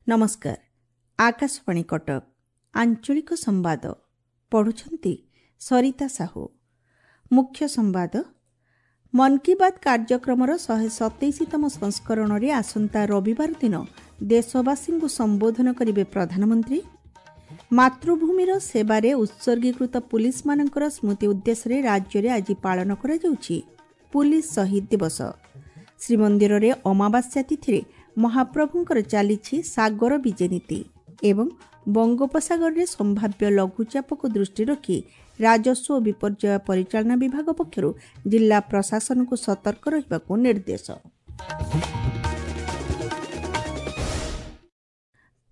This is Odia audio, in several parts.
ନମସ୍କାର, ଆକାଶବାଣୀ କଟକ, ଆଞ୍ଚଳିକ ସମ୍ବାଦ ପଢ଼ୁଛନ୍ତି ସରିତା ସାହୁ। ମୁଖ୍ୟ ସମ୍ବାଦ। ମନ୍ କି ବାତ୍ କାର୍ଯ୍ୟକ୍ରମର 127ତମ ସଂସ୍କରଣରେ ଆସନ୍ତା ରବିବାର ଦିନ ଦେଶବାସୀଙ୍କୁ ସମ୍ବୋଧନ କରିବେ ପ୍ରଧାନମନ୍ତ୍ରୀ। ମାତୃଭୂମିର ସେବାରେ ଉତ୍ସର୍ଗୀକୃତ ପୁଲିସମାନଙ୍କର ସ୍ମୃତି ଉଦ୍ଦେଶ୍ୟରେ ରାଜ୍ୟରେ ଆଜି ପାଳନ କରାଯାଉଛି ପୁଲିସ ଶହୀଦ ଦିବସ। ଶ୍ରୀମନ୍ଦିରରେ ଅମାବାସ୍ୟା ତିଥିରେ ମହାପ୍ରଭୁଙ୍କର ଚାଲିଛି ସାଗର ବିଜେ ନୀତି ଏବଂ ବଙ୍ଗୋପସାଗରରେ ସମ୍ଭାବ୍ୟ ଲଘୁଚାପକୁ ଦୃଷ୍ଟିରେ ରଖି ରାଜସ୍ୱ ଓ ବିପର୍ଯ୍ୟୟ ପରିଚାଳନା ବିଭାଗ ପକ୍ଷରୁ ଜିଲ୍ଲା ପ୍ରଶାସନକୁ ସତର୍କ ରହିବାକୁ ନିର୍ଦ୍ଦେଶ।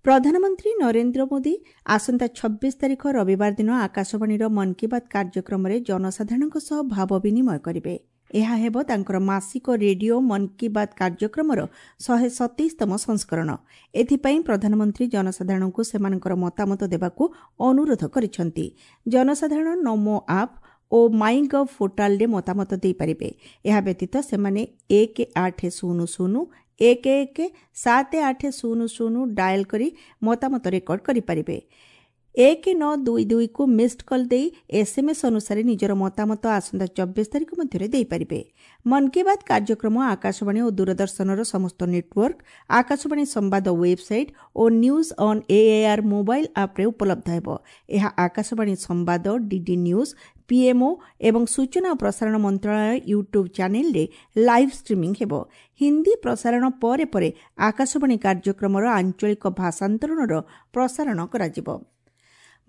ପ୍ରଧାନମନ୍ତ୍ରୀ ନରେନ୍ଦ୍ର ମୋଦି ଆସନ୍ତା 26 ତାରିଖ ରବିବାର ଦିନ ଆକାଶବାଣୀର ମନ୍ କି ବାତ୍ କାର୍ଯ୍ୟକ୍ରମରେ ଜନସାଧାରଣଙ୍କ ସହ ଭାବ ବିନିମୟ କରିବେ। ଏହା ହେବ ତାଙ୍କର ମାସିକ ରେଡିଓ ମନ୍ କି ବାତ୍ କାର୍ଯ୍ୟକ୍ରମର 127ତମ ସଂସ୍କରଣ। ଏଥିପାଇଁ ପ୍ରଧାନମନ୍ତ୍ରୀ ଜନସାଧାରଣଙ୍କୁ ସେମାନଙ୍କର ମତାମତ ଦେବାକୁ ଅନୁରୋଧ କରିଛନ୍ତି। ଜନସାଧାରଣ ନମୋ ଆପ୍ ଓ ମାଇ ଗଭ୍ ପୋର୍ଟାଲରେ ମତାମତ ଦେଇପାରିବେ। ଏହା ବ୍ୟତୀତ ସେମାନେ 1800 11 7800 ଡାଏଲ୍ କରି ମତାମତ ରେକର୍ଡ କରିପାରିବେ। 1922କୁ ମିସ୍ଡ କଲ୍ ଦେଇ ଏସ୍ଏମ୍ଏସ୍ ଅନୁସାରେ ନିଜର ମତାମତ ଆସନ୍ତା 24 ତାରିଖ ମଧ୍ୟରେ ଦେଇପାରିବେ। ମନ୍ କି ବାତ୍ କାର୍ଯ୍ୟକ୍ରମ ଆକାଶବାଣୀ ଓ ଦୂରଦର୍ଶନର ସମସ୍ତ ନେଟୱାର୍କ, ଆକାଶବାଣୀ ସମ୍ବାଦ website O news on AAR mobile ଆପ୍ରେ ଉପଲବ୍ଧ ହେବ। ଏହା ଆକାଶବାଣୀ ସମ୍ବାଦ, ଡିଡି ନ୍ୟୁଜ୍, ପିଏମ୍ଓ ଏବଂ ସୂଚନା ଓ ପ୍ରସାରଣ ମନ୍ତ୍ରଣାଳୟ ୟୁଟ୍ୟୁବ୍ ଚ୍ୟାନେଲ୍ରେ ଲାଇଭ୍ ଷ୍ଟ୍ରିମିଂ ହେବ। ହିନ୍ଦୀ ପ୍ରସାରଣ ପରେ ପରେ ଆକାଶବାଣୀ କାର୍ଯ୍ୟକ୍ରମର ଆଞ୍ଚଳିକ ଭାଷାନ୍ତରଣର ପ୍ରସାରଣ କରାଯିବ।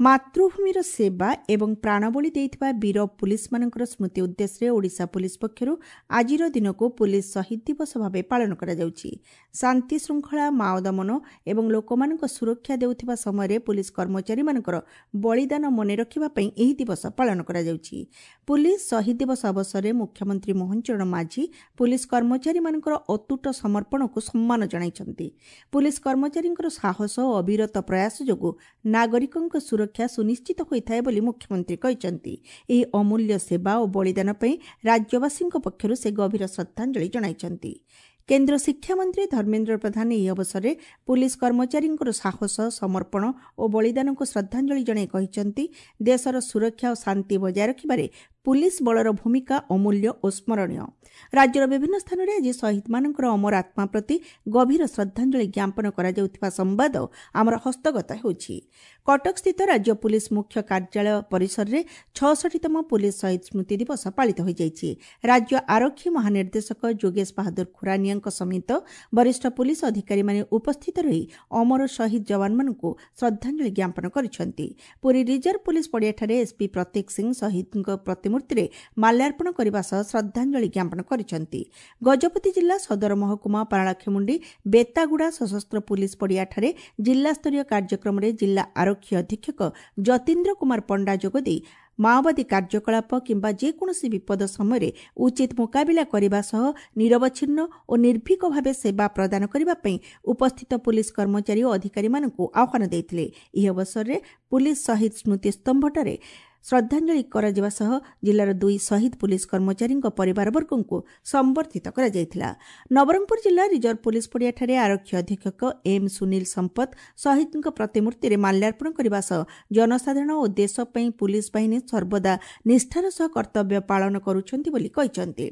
ମାତୃଭୂମିର ସେବା ଏବଂ ପ୍ରାଣବଳି ଦେଇଥିବା ବୀର ପୁଲିସମାନଙ୍କର ସ୍ମୃତି ଉଦ୍ଦେଶ୍ୟରେ ଓଡ଼ିଶା ପୁଲିସ ପକ୍ଷରୁ ଆଜିର ଦିନକୁ ପୁଲିସ ଶହୀଦ ଦିବସ ଭାବେ ପାଳନ କରାଯାଉଛି। ଶାନ୍ତି ଶୃଙ୍ଖଳା, ମାଓ ଦମନ ଏବଂ ଲୋକମାନଙ୍କ ସୁରକ୍ଷା ଦେଉଥିବା ସମୟରେ ପୁଲିସ କର୍ମଚାରୀମାନଙ୍କର ବଳିଦାନ ମନେ ରଖିବା ପାଇଁ ଏହି ଦିବସ ପାଳନ କରାଯାଉଛି। ପୁଲିସ ଶହୀଦ ଦିବସ ଅବସରରେ ମୁଖ୍ୟମନ୍ତ୍ରୀ ମୋହନ ଚରଣ ମାଝୀ ପୁଲିସ କର୍ମଚାରୀମାନଙ୍କର ଅତୁଟ ସମର୍ପଣକୁ ସମ୍ମାନ ଜଣାଇଛନ୍ତି। ପୁଲିସ କର୍ମଚାରୀଙ୍କର ସାହସ ଓ ଅବିରତ ପ୍ରୟାସ ଯୋଗୁଁ ନାଗରିକଙ୍କ ସୁରକ୍ଷା ସୁନିଶ୍ଚିତ ହୋଇଥାଏ ବୋଲି ମୁଖ୍ୟମନ୍ତ୍ରୀ କହିଛନ୍ତି। ଏହି ଅମୂଲ୍ୟ ସେବା ଓ ବଳିଦାନ ପାଇଁ ରାଜ୍ୟବାସୀଙ୍କ ପକ୍ଷରୁ ସେ ଗଭୀର ଶ୍ରଦ୍ଧାଞ୍ଜଳି ଜଣାଇଛନ୍ତି। କେନ୍ଦ୍ର ଶିକ୍ଷାମନ୍ତ୍ରୀ ଧର୍ମେନ୍ଦ୍ର ପ୍ରଧାନ ଏହି ଅବସରରେ ପୁଲିସ କର୍ମଚାରୀଙ୍କର ସାହସ, ସମର୍ପଣ ଓ ବଳିଦାନକୁ ଶ୍ରଦ୍ଧାଞ୍ଜଳି ଜଣାଇ କହିଛନ୍ତି, ଦେଶର ସୁରକ୍ଷା ଓ ଶାନ୍ତି ବଜାୟ ରଖିବାରେ ପୁଲିସ ବଳର ଭୂମିକା ଅମୂଲ୍ୟ ଓ ସ୍ମରଣୀୟ। ରାଜ୍ୟର ବିଭିନ୍ନ ସ୍ଥାନରେ ଆଜି ଶହୀଦମାନଙ୍କର ଅମର ଆତ୍ମା ପ୍ରତି ଗଭୀର ଶ୍ରଦ୍ଧାଞ୍ଜଳି ଜ୍ଞାପନ କରାଯାଉଥିବା ସମ୍ବାଦ ଆମର ହସ୍ତଗତ ହେଉଛି। କଟକସ୍ଥିତ ରାଜ୍ୟ ପୁଲିସ ମୁଖ୍ୟ କାର୍ଯ୍ୟାଳୟ ପରିସରରେ 66ତମ ପୁଲିସ ଶହୀଦ ସ୍ମୃତି ଦିବସ ପାଳିତ ହୋଇଯାଇଛି। ରାଜ୍ୟ ଆରକ୍ଷୀ ମହାନିର୍ଦ୍ଦେଶକ ଯୋଗେଶ ବାହାଦୁର ଖୁରାନିଆଙ୍କ ସମେତ ବରିଷ୍ଠ ପୁଲିସ ଅଧିକାରୀମାନେ ଉପସ୍ଥିତ ରହି ଅମର ଶହୀଦ ଯବାନମାନଙ୍କୁ ଶ୍ରଦ୍ଧାଞ୍ଜଳି ଜ୍ଞାପନ କରିଛନ୍ତି। ପୁରୀ ରିଜର୍ଭ ପୁଲିସ ପଡ଼ିଆଠାରେ ଏସ୍ପି ପ୍ରତୀକ ସିଂ ଶହୀଦଙ୍କ ପ୍ରତିମୂର୍ତ୍ତିରେ ମାଲ୍ୟାର୍ପଣ କରିବା ସହ ଶ୍ରଦ୍ଧାଞ୍ଜଳି ଜ୍ଞାପନ କରିଛନ୍ତି। ଗଜପତି ଜିଲ୍ଲା ସଦର ମହକୁମା ପାରଳାଖେମୁଣ୍ଡି ବେତାଗୁଡ଼ା ସଶସ୍ତ୍ର ପୁଲିସ ପଡ଼ିଆଠାରେ ଜିଲ୍ଲାସ୍ତରୀୟ କାର୍ଯ୍ୟକ୍ରମରେ ଜିଲ୍ଲା ଆରକ୍ଷୀ ଅଧୀକ୍ଷକ ଯତୀନ୍ଦ୍ର କୁମାର ପଣ୍ଡା ଯୋଗଦେଇ ମାଓବାଦୀ କାର୍ଯ୍ୟକଳାପ କିମ୍ବା ଯେକୌଣସି ବିପଦ ସମୟରେ ଉଚିତ ମୁକାବିଲା କରିବା ସହ ନିରବଚ୍ଛିନ୍ନ ଓ ନିର୍ଭୀକ ଭାବେ ସେବା ପ୍ରଦାନ କରିବା ପାଇଁ ଉପସ୍ଥିତ ପୁଲିସ କର୍ମଚାରୀ ଓ ଅଧିକାରୀମାନଙ୍କୁ ଆହ୍ୱାନ ଦେଇଥିଲେ। ଏହି ଅବସରରେ ପୁଲିସ ଶହୀଦ ସ୍ମୃତିସ୍ତମ୍ଭଠାରେ ଶ୍ରଦ୍ଧାଞ୍ଜଳି କରାଯିବା ସହ ଜିଲ୍ଲାର 2 ଶହୀଦ ପୁଲିସ କର୍ମଚାରୀଙ୍କ ପରିବାରବର୍ଗଙ୍କୁ ସମ୍ବର୍ଦ୍ଧିତ କରାଯାଇଥିଲା। ନବରଙ୍ଗପୁର ଜିଲ୍ଲା ରିଜର୍ଭ ପୁଲିସ ପଡ଼ିଆଠାରେ ଆରକ୍ଷୀ ଅଧୀକ୍ଷକ ଏମ୍ ସୁନୀଲ ସମ୍ପତ ଶହୀଦଙ୍କ ପ୍ରତିମୂର୍ତ୍ତିରେ ମାଲ୍ୟାର୍ପଣ କରିବା ସହ ଜନସାଧାରଣ ଓ ଦେଶ ପାଇଁ ପୁଲିସ ବାହିନୀ ସର୍ବଦା ନିଷ୍ଠାର ସହ କର୍ତ୍ତବ୍ୟ ପାଳନ କରୁଛନ୍ତି ବୋଲି କହିଛନ୍ତି।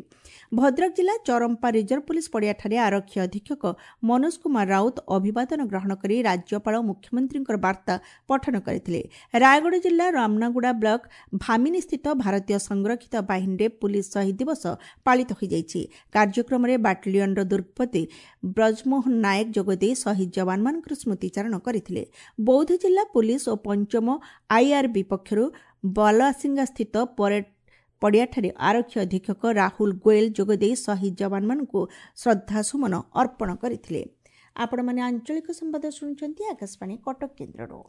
ଭଦ୍ରକ ଜିଲ୍ଲା ଚରମ୍ପା ରିଜର୍ଭ ପୁଲିସ ପଡ଼ିଆଠାରେ ଆରକ୍ଷୀ ଅଧୀକ୍ଷକ ମନୋଜ କୁମାର ରାଉତ ଅଭିବାଦନ ଗ୍ରହଣ କରି ରାଜ୍ୟପାଳ ମୁଖ୍ୟମନ୍ତ୍ରୀଙ୍କର ବାର୍ତ୍ତା ପଠନ କରିଥିଲେ। ରାୟଗଡ଼ା ଜିଲ୍ଲା ରାମନାଗୁଡ଼ା ବ୍ଲକ ଭାମିନୀସ୍ଥିତ ଭାରତୀୟ ସଂରକ୍ଷିତ ବାହିନୀରେ ପୁଲିସ ଶହୀଦ ଦିବସ ପାଳିତ ହୋଇଯାଇଛି। କାର୍ଯ୍ୟକ୍ରମରେ ବାଟାଲିୟନର ଦୁର୍ଗପତି ବ୍ରଜମୋହନ ନାୟକ ଯୋଗଦେଇ ଶହୀଦ ଯବାନମାନଙ୍କର ସ୍ମୃତିଚାରଣ କରିଥିଲେ। ବୌଦ୍ଧ ଜିଲ୍ଲା ପୁଲିସ ଓ ପଞ୍ଚମ ଆଇଆର୍ବି ପକ୍ଷରୁ ବାଲାସିଙ୍ଗାସ୍ଥିତ ପରେଡ ପଡ଼ିଆଠାରେ ଆରକ୍ଷୀ ଅଧୀକ୍ଷକ ରାହୁଲ ଗୋଏଲ ଯୋଗଦେଇ ଶହୀଦ ଯବାନମାନଙ୍କୁ ଶ୍ରଦ୍ଧାସୁମନ ଅର୍ପଣ କରିଥିଲେ। ଆପଣମାନେ ଆଞ୍ଚଳିକ ସମ୍ବାଦ ଶୁଣୁଛନ୍ତି ଆକାଶବାଣୀ କଟକ କେନ୍ଦ୍ରରୁ।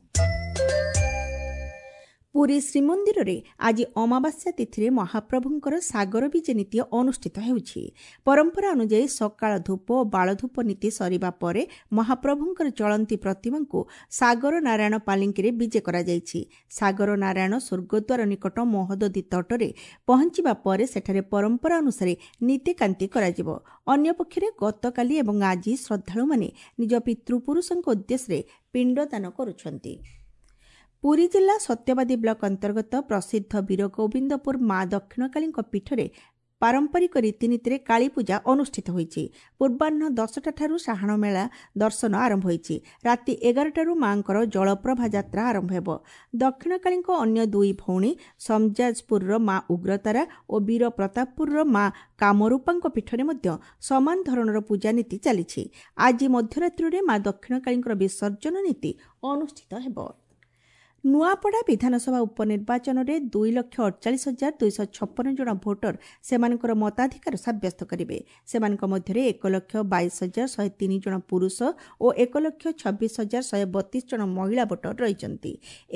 ପୁରୀ ଶ୍ରୀମନ୍ଦିରରେ ଆଜି ଅମାବାସ୍ୟା ତିଥିରେ ମହାପ୍ରଭୁଙ୍କର ସାଗର ବିଜେ ନୀତି ଅନୁଷ୍ଠିତ ହେଉଛି। ପରମ୍ପରା ଅନୁଯାୟୀ ସକାଳ ଧୂପ ଓ ବାଳଧୂପ ନୀତି ସରିବା ପରେ ମହାପ୍ରଭୁଙ୍କର ଚଳନ୍ତି ପ୍ରତିମାଙ୍କୁ ସାଗର ନାରାୟଣ ପାଲିଙ୍କିରେ ବିଜେ କରାଯାଇଛି। ସାଗର ନାରାୟଣ ସ୍ୱର୍ଗଦ୍ୱାର ନିକଟ ମହୋଦଧି ତଟରେ ପହଞ୍ଚିବା ପରେ ସେଠାରେ ପରମ୍ପରା ଅନୁସାରେ ନୀତିକାନ୍ତି କରାଯିବ। ଅନ୍ୟପକ୍ଷରେ ଗତକାଲି ଏବଂ ଆଜି ଶ୍ରଦ୍ଧାଳୁମାନେ ନିଜ ପିତୃପୁରୁଷଙ୍କ ଉଦ୍ଦେଶ୍ୟରେ ପିଣ୍ଡଦାନ କରୁଛନ୍ତି। ପୁରୀ ଜିଲ୍ଲା ସତ୍ୟବାଦୀ ବ୍ଲକ ଅନ୍ତର୍ଗତ ପ୍ରସିଦ୍ଧ ବୀରଗୋବିନ୍ଦପୁର ମା ଦକ୍ଷିଣକାଳୀଙ୍କ ପୀଠରେ ପାରମ୍ପରିକ ରୀତିନୀତିରେ କାଳୀପୂଜା ଅନୁଷ୍ଠିତ ହୋଇଛି। ପୂର୍ବାହ୍ନ 10ଟାଠାରୁ ସାହାଣ ମେଳା ଦର୍ଶନ ଆରମ୍ଭ ହୋଇଛି। ରାତି 11ଟାରୁ ମାଙ୍କର ଜଳପ୍ରଭା ଯାତ୍ରା ଆରମ୍ଭ ହେବ। ଦକ୍ଷିଣକାଳୀଙ୍କ ଅନ୍ୟ ଦୁଇ ଭଉଣୀ ସମଜାଜପୁରର ମା ଉଗ୍ରତାରା ଓ ବୀର ପ୍ରତାପପୁରର ମା କାମରୂପାଙ୍କ ପୀଠରେ ମଧ୍ୟ ସମାନ ଧରଣର ପୂଜାନୀତି ଚାଲିଛି। ଆଜି ମଧ୍ୟରାତ୍ରିରେ ମା ଦକ୍ଷିଣକାଳୀଙ୍କର ବିସର୍ଜନ ନୀତି ଅନୁଷ୍ଠିତ ହେବ। ନୂଆପଡ଼ା ବିଧାନସଭା ଉପନିର୍ବାଚନରେ 2,48,256 ଜଣ ଭୋଟର ସେମାନଙ୍କର ମତାଧିକାର ସାବ୍ୟସ୍ତ କରିବେ। ସେମାନଙ୍କ ମଧ୍ୟରେ 1,22,103 ଜଣ ପୁରୁଷ ଓ 1,26,132 ଜଣ ମହିଳା ଭୋଟର ରହିଛନ୍ତି।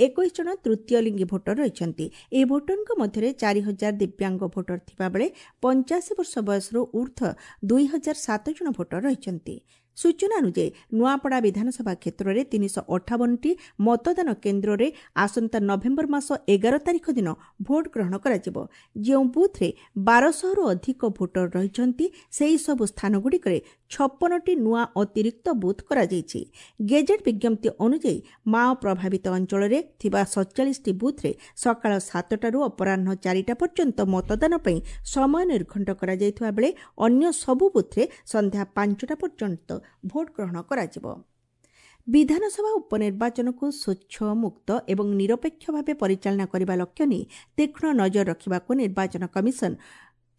21 ଜଣ ତୃତୀୟ ଲିଙ୍ଗୀ ଭୋଟର ରହିଛନ୍ତି। ଏହି ଭୋଟରଙ୍କ ମଧ୍ୟରେ 4,000 ଦିବ୍ୟାଙ୍ଗ ଭୋଟର ଥିବାବେଳେ 85 ବର୍ଷ ବୟସରୁ ଉର୍ଦ୍ଧ୍ୱ 2,007 ଜଣ ଭୋଟର ରହିଛନ୍ତି। ସୂଚନା ଅନୁଯାୟୀ ନୂଆପଡ଼ା ବିଧାନସଭା କ୍ଷେତ୍ରରେ 358ଟି ମତଦାନ କେନ୍ଦ୍ରରେ ଆସନ୍ତା ନଭେମ୍ବର ମାସ 11 ତାରିଖ ଦିନ ଭୋଟ ଗ୍ରହଣ କରାଯିବ। ଯେଉଁ ବୁଥ୍ରେ 1200ରୁ ଅଧିକ ଭୋଟର ରହିଛନ୍ତି, ସେହିସବୁ ସ୍ଥାନଗୁଡ଼ିକରେ 56ଟି ନୂଆ ଅତିରିକ୍ତ ବୁଥ୍ କରାଯାଇଛି। ଗେଜେଟ୍ ବିଜ୍ଞପ୍ତି ଅନୁଯାୟୀ ମାଓ ପ୍ରଭାବିତ ଅଞ୍ଚଳରେ ଥିବା 47ଟି ବୁଥ୍ରେ ସକାଳ 7ଟାରୁ ଅପରାହ୍ନ 4ଟା ପର୍ଯ୍ୟନ୍ତ ମତଦାନ ପାଇଁ ସମୟ ନିର୍ଘଣ୍ଟ କରାଯାଇଥିବା ବେଳେ ଅନ୍ୟ ସବୁ ବୁଥ୍ରେ ସନ୍ଧ୍ୟା 5ଟା ପର୍ଯ୍ୟନ୍ତ ଭୋଟ ଗ୍ରହଣ କରାଯିବ। ବିଧାନସଭା ଉପନିର୍ବାଚନକୁ ସ୍ୱଚ୍ଛ, ମୁକ୍ତ ଏବଂ ନିରପେକ୍ଷ ଭାବେ ପରିଚାଳନା କରିବା ଲକ୍ଷ୍ୟ ନେଇ ତୀକ୍ଷ୍ଣ ନଜର ରଖିବାକୁ ନିର୍ବାଚନ କମିଶନ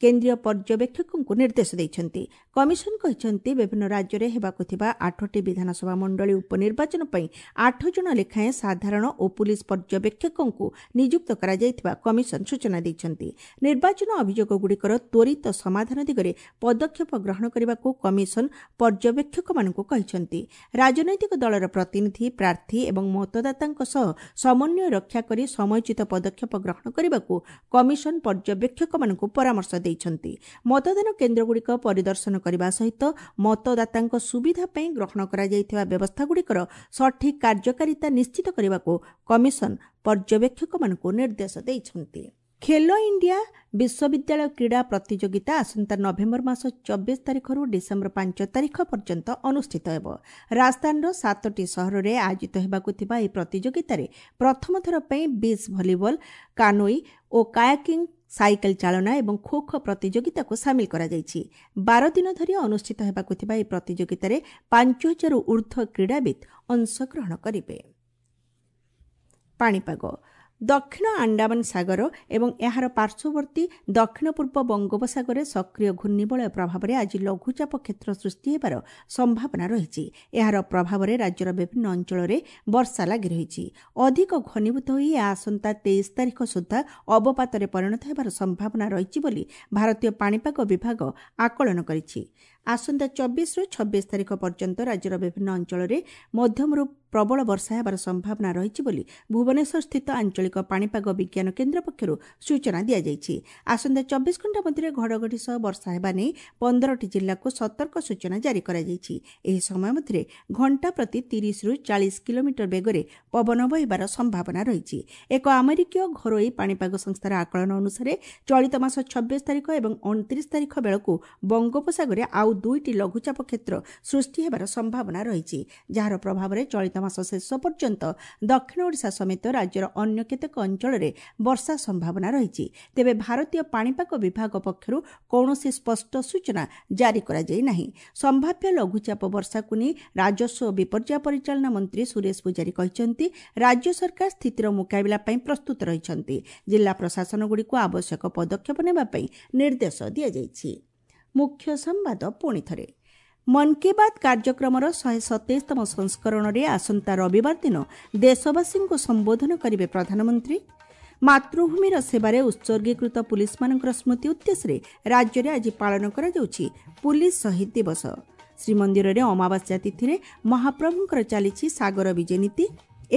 କେନ୍ଦ୍ରୀୟ ପର୍ଯ୍ୟବେକ୍ଷକଙ୍କୁ ନିର୍ଦ୍ଦେଶ ଦେଇଛନ୍ତି। କମିଶନ କହିଛନ୍ତି, ବିଭିନ୍ନ ରାଜ୍ୟରେ ହେବାକୁ ଥିବା 8ଟି ବିଧାନସଭା ମଣ୍ଡଳୀ ଉପନିର୍ବାଚନ ପାଇଁ 8 ଜଣ ଲେଖାଏଁ ସାଧାରଣ ଓ ପୁଲିସ ପର୍ଯ୍ୟବେକ୍ଷକଙ୍କୁ ନିଯୁକ୍ତ କରାଯାଇଥିବା କମିଶନ ସୂଚନା ଦେଇଛନ୍ତି। ନିର୍ବାଚନ ଅଭିଯୋଗଗୁଡ଼ିକର ତ୍ୱରିତ ସମାଧାନ ଦିଗରେ ପଦକ୍ଷେପ ଗ୍ରହଣ କରିବାକୁ କମିଶନ ପର୍ଯ୍ୟବେକ୍ଷକମାନଙ୍କୁ କହିଛନ୍ତି। ରାଜନୈତିକ ଦଳର ପ୍ରତିନିଧି, ପ୍ରାର୍ଥୀ ଏବଂ ମତଦାତାଙ୍କ ସହ ସମନ୍ୱୟ ରକ୍ଷା କରି ସମୟୋଚିତ ପଦକ୍ଷେପ ଗ୍ରହଣ କରିବାକୁ କମିଶନ ପର୍ଯ୍ୟବେକ୍ଷକମାନଙ୍କୁ ପରାମର୍ଶ ଦେଇଛନ୍ତି। ମତଦାନ କେନ୍ଦ୍ରଗୁଡ଼ିକ ପରିଦର୍ଶନ କରିବା ସହିତ ମତଦାତାଙ୍କ ସୁବିଧା ପାଇଁ ଗ୍ରହଣ କରାଯାଇଥିବା ବ୍ୟବସ୍ଥାଗୁଡ଼ିକର ସଠିକ୍ କାର୍ଯ୍ୟକାରିତା ନିଶ୍ଚିତ କରିବାକୁ କମିଶନ ପର୍ଯ୍ୟବେକ୍ଷକମାନଙ୍କୁ ନିର୍ଦ୍ଦେଶ ଦେଇଛନ୍ତି। ଖେଲୋ ଇଣ୍ଡିଆ ବିଶ୍ୱବିଦ୍ୟାଳୟ କ୍ରୀଡ଼ା ପ୍ରତିଯୋଗିତା ଆସନ୍ତା ନଭେମ୍ବର ମାସ 24 ତାରିଖରୁ ଡିସେମ୍ବର 5 ତାରିଖ ପର୍ଯ୍ୟନ୍ତ ଅନୁଷ୍ଠିତ ହେବ। ରାଜସ୍ଥାନର 7ଟି ସହରରେ ଆୟୋଜିତ ହେବାକୁ ଥିବା ଏହି ପ୍ରତିଯୋଗିତାରେ ପ୍ରଥମ ଥର ପାଇଁ ବିଚ୍ ଭଲିବଲ, କାନୋଇ ଓ କାୟାକିଂ, ସାଇକେଲ ଚାଳନା ଏବଂ ଖୋ ଖୋ ପ୍ରତିଯୋଗିତାକୁ ସାମିଲ କରାଯାଇଛି। 12 ଦିନ ଧରି ଅନୁଷ୍ଠିତ ହେବାକୁ ଥିବା ଏହି ପ୍ରତିଯୋଗିତାରେ 5,000ରୁ ଉର୍ଦ୍ଧ୍ୱ କ୍ରୀଡ଼ାବିତ୍ ଅଂଶଗ୍ରହଣ କରିବେ। ପାଣିପାଗ। ଦକ୍ଷିଣ ଆଣ୍ଡାମାନ ସାଗର ଏବଂ ଏହାର ପାର୍ଶ୍ୱବର୍ତ୍ତୀ ଦକ୍ଷିଣ ପୂର୍ବ ବଙ୍ଗୋପସାଗରରେ ସକ୍ରିୟ ଘୂର୍ଣ୍ଣିବଳୟ ପ୍ରଭାବରେ ଆଜି ଲଘୁଚାପ କ୍ଷେତ୍ର ସୃଷ୍ଟି ହେବାର ସମ୍ଭାବନା ରହିଛି। ଏହାର ପ୍ରଭାବରେ ରାଜ୍ୟର ବିଭିନ୍ନ ଅଞ୍ଚଳରେ ବର୍ଷା ଲାଗି ରହିଛି। ଅଧିକ ଘନୀଭୂତ ହୋଇ ଏହା ଆସନ୍ତା 23 ତାରିଖ ସୁଦ୍ଧା ଅବପାତରେ ପରିଣତ ହେବାର ସମ୍ଭାବନା ରହିଛି ବୋଲି ଭାରତୀୟ ପାଣିପାଗ ବିଭାଗ ଆକଳନ କରିଛି। ଆସନ୍ତା 24ରୁ 26 ତାରିଖ ପର୍ଯ୍ୟନ୍ତ ରାଜ୍ୟର ବିଭିନ୍ନ ଅଞ୍ଚଳରେ ମଧ୍ୟମରୁ ପ୍ରବଳ ବର୍ଷା ହେବାର ସମ୍ଭାବନା ରହିଛି ବୋଲି ଭୁବନେଶ୍ୱରସ୍ଥିତ ଆଞ୍ଚଳିକ ପାଣିପାଗ ବିଜ୍ଞାନ କେନ୍ଦ୍ର ପକ୍ଷରୁ ସୂଚନା ଦିଆଯାଇଛି। ଆସନ୍ତା 24 ଘଣ୍ଟା ମଧ୍ୟରେ ଘଡ଼ଘଡ଼ି ସହ ବର୍ଷା ହେବା ନେଇ 15ଟି ଜିଲ୍ଲାକୁ ସତର୍କ ସୂଚନା ଜାରି କରାଯାଇଛି। ଏହି ସମୟ ମଧ୍ୟରେ ଘଣ୍ଟା ପ୍ରତି 30ରୁ 40 କିଲୋମିଟର ବେଗରେ ପବନ ବହିବାର ସମ୍ଭାବନା ରହିଛି। ଏକ ଆମେରିକୀୟ ଘରୋଇ ପାଣିପାଗ ସଂସ୍ଥାର ଆକଳନ ଅନୁସାରେ ଚଳିତ ମାସ 26 ତାରିଖ ଏବଂ 29 ତାରିଖ ବେଳକୁ ବଙ୍ଗୋପସାଗରରେ ଆଉ 2ଟି ଲଘୁଚାପ କ୍ଷେତ୍ର ସୃଷ୍ଟି ହେବାର ସମ୍ଭାବନା ରହିଛି, ଯାହାର ପ୍ରଭାବରେ ଚଳିତ ମାସ ଶେଷ ପର୍ଯ୍ୟନ୍ତ ଦକ୍ଷିଣ ଓଡ଼ିଶା ସମେତ ରାଜ୍ୟର ଅନ୍ୟ କେତେକ ଅଞ୍ଚଳରେ ବର୍ଷା ସମ୍ଭାବନା ରହିଛି। ତେବେ ଭାରତୀୟ ପାଣିପାଗ ବିଭାଗ ପକ୍ଷରୁ କୌଣସି ସ୍ପଷ୍ଟ ସୂଚନା ଜାରି କରାଯାଇ ନାହିଁ। ସମ୍ଭାବ୍ୟ ଲଘୁଚାପ ବର୍ଷାକୁ ନେଇ ରାଜସ୍ୱ ଓ ବିପର୍ଯ୍ୟୟ ପରିଚାଳନା ମନ୍ତ୍ରୀ ସୁରେଶ ପୂଜାରୀ କହିଛନ୍ତି, ରାଜ୍ୟ ସରକାର ସ୍ଥିତିର ମୁକାବିଲା ପାଇଁ ପ୍ରସ୍ତୁତ ରହିଛନ୍ତି। ଜିଲ୍ଲା ପ୍ରଶାସନଗୁଡ଼ିକୁ ଆବଶ୍ୟକ ପଦକ୍ଷେପ ନେବା ପାଇଁ ନିର୍ଦ୍ଦେଶ ଦିଆଯାଇଛି। ମୁଖ୍ୟ ସମ୍ବାଦ ପୁଣି ଥରେ। ମନ୍ କି ବାତ୍ କାର୍ଯ୍ୟକ୍ରମର 127ତମ ସଂସ୍କରଣରେ ଆସନ୍ତା ରବିବାର ଦିନ ଦେଶବାସୀଙ୍କୁ ସମ୍ବୋଧନ କରିବେ ପ୍ରଧାନମନ୍ତ୍ରୀ। ମାତୃଭୂମିର ସେବାରେ ଉତ୍ସର୍ଗୀକୃତ ପୁଲିସମାନଙ୍କର ସ୍ମୃତି ଉଦ୍ଦେଶ୍ୟରେ ରାଜ୍ୟରେ ଆଜି ପାଳନ କରାଯାଉଛି ପୁଲିସ ଶହୀଦ ଦିବସ। ଶ୍ରୀମନ୍ଦିରରେ ଅମାବାସ୍ୟା ତିଥିରେ ମହାପ୍ରଭୁଙ୍କର ଚାଲିଛି ସାଗର ବିଜେ ନୀତି।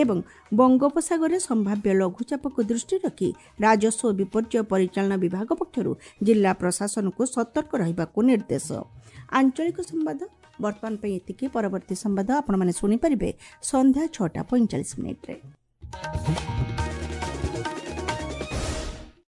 ଏବଂ ବଙ୍ଗୋପସାଗରରେ ସମ୍ଭାବ୍ୟ ଲଘୁଚାପକୁ ଦୃଷ୍ଟିରେ ରଖି ରାଜସ୍ୱ ଓ ବିପର୍ଯ୍ୟୟ ପରିଚାଳନା ବିଭାଗ ପକ୍ଷରୁ ଜିଲ୍ଲା ପ୍ରଶାସନକୁ ସତର୍କ ରହିବାକୁ ନିର୍ଦ୍ଦେଶ। ଆଞ୍ଚଳିକ ସମ୍ବାଦ ବର୍ତ୍ତମାନ ପାଇଁ ଏତିକି। ପରବର୍ତ୍ତୀ ସମ୍ବାଦ ଆପଣମାନେ ଶୁଣିପାରିବେ ସନ୍ଧ୍ୟା 6ଟା 45 ମିନିଟ୍ରେ।